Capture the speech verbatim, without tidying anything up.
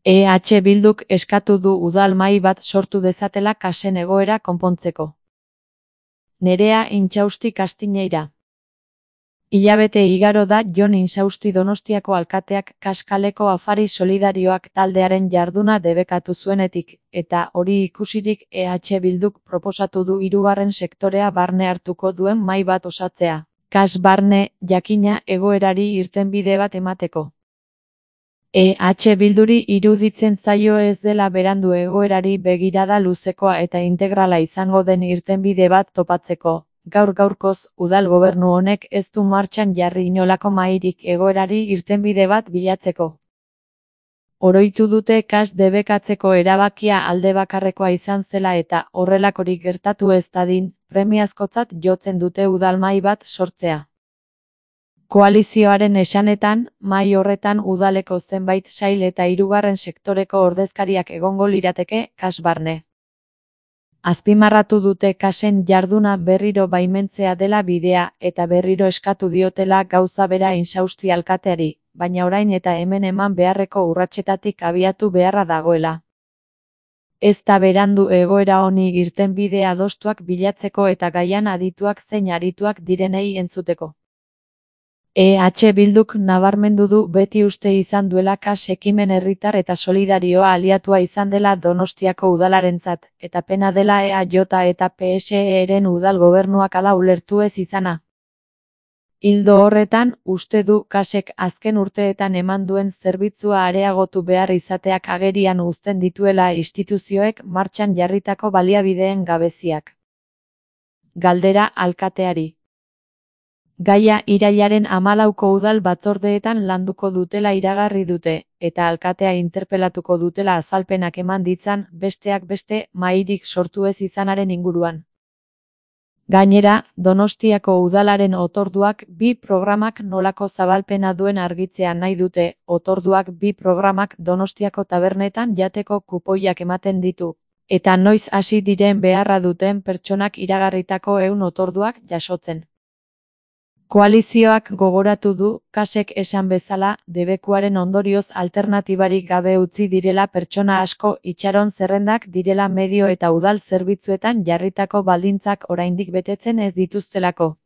E H Bilduk eskatu du udal mahai bat sortu dezatela kasen egoera konpontzeko. Nerea Inchausti Kastiñeira. Hilabete igaro da Jon Inchausti Donostiako alkateak Kaskaleko Afari Solidarioak taldearen jarduna debekatu zuenetik, eta hori ikusirik E H Bilduk proposatu du hirugarren sektorea barne hartuko duen mahai bat osatzea. Kas barne, jakina, egoerari irtenbide bat emateko. E H Bilduri iruditzen zaio ez dela berandu egoerari begirada luzekoa eta integrala izango den irtenbide bat topatzeko. Gaur gaurkoz, udal gobernu honek ez du martxan jarri inolako mahairik egoerari irtenbide bat bilatzeko. Oroitu dute kas debekatzeko erabakia alde bakarrekoa izan zela eta horrelakorik gertatu ez dadin, premiazkotzat jotzen dute udal mahai bat sortzea. Koalizioaren esanetan, mahai horretan udaleko zenbait sail eta hirugarren sektoreko ordezkariak egongo lirateke kas barne. Azpimarratu dute kasen jarduna berriro baimentzea dela bidea eta berriro eskatu diotela gauza bera Inchausti alkateari, baina orain eta hemen eman beharreko urratsetatik abiatu beharra dagoela. Ez da berandu egoera honi irtenbide adostuak bilatzeko eta gaian adituak zein arituak direnei entzuteko. E H Bilduk nabarmendu du beti uste izan duela kas ekimen herritar eta solidarioa aliatua izan dela Donostiako udalarentzat, eta pena dela E A J eta P S E-ren udal gobernuak hala ulertu ez izana. Ildo horretan, uste du kasek azken urteetan eman duen zerbitzua areagotu behar izateak agerian uzten dituela instituzioek martxan jarritako baliabideen gabeziak. Galdera alkateari. Gaia irailaren hamalauko udal batzordeetan landuko dutela iragarri dute, eta alkatea interpelatuko dutela azalpenak eman ditzan, besteak beste, mahairik sortu ez izanaren inguruan. Gainera, Donostiako udalaren otorduak bi programak nolako zabalpena duen argitzea nahi dute. Otorduak bi programak Donostiako tabernetan jateko kupoiak ematen ditu, eta noiz hasi diren beharra duten pertsonak iragarritako ehun otorduak jasotzen. Koalizioak gogoratu du, kasek esan bezala, debekuaren ondorioz alternatibarik gabe utzi direla pertsona asko, itxaron zerrendak direla medio eta udal zerbitzuetan jarritako baldintzak oraindik betetzen ez dituztelako.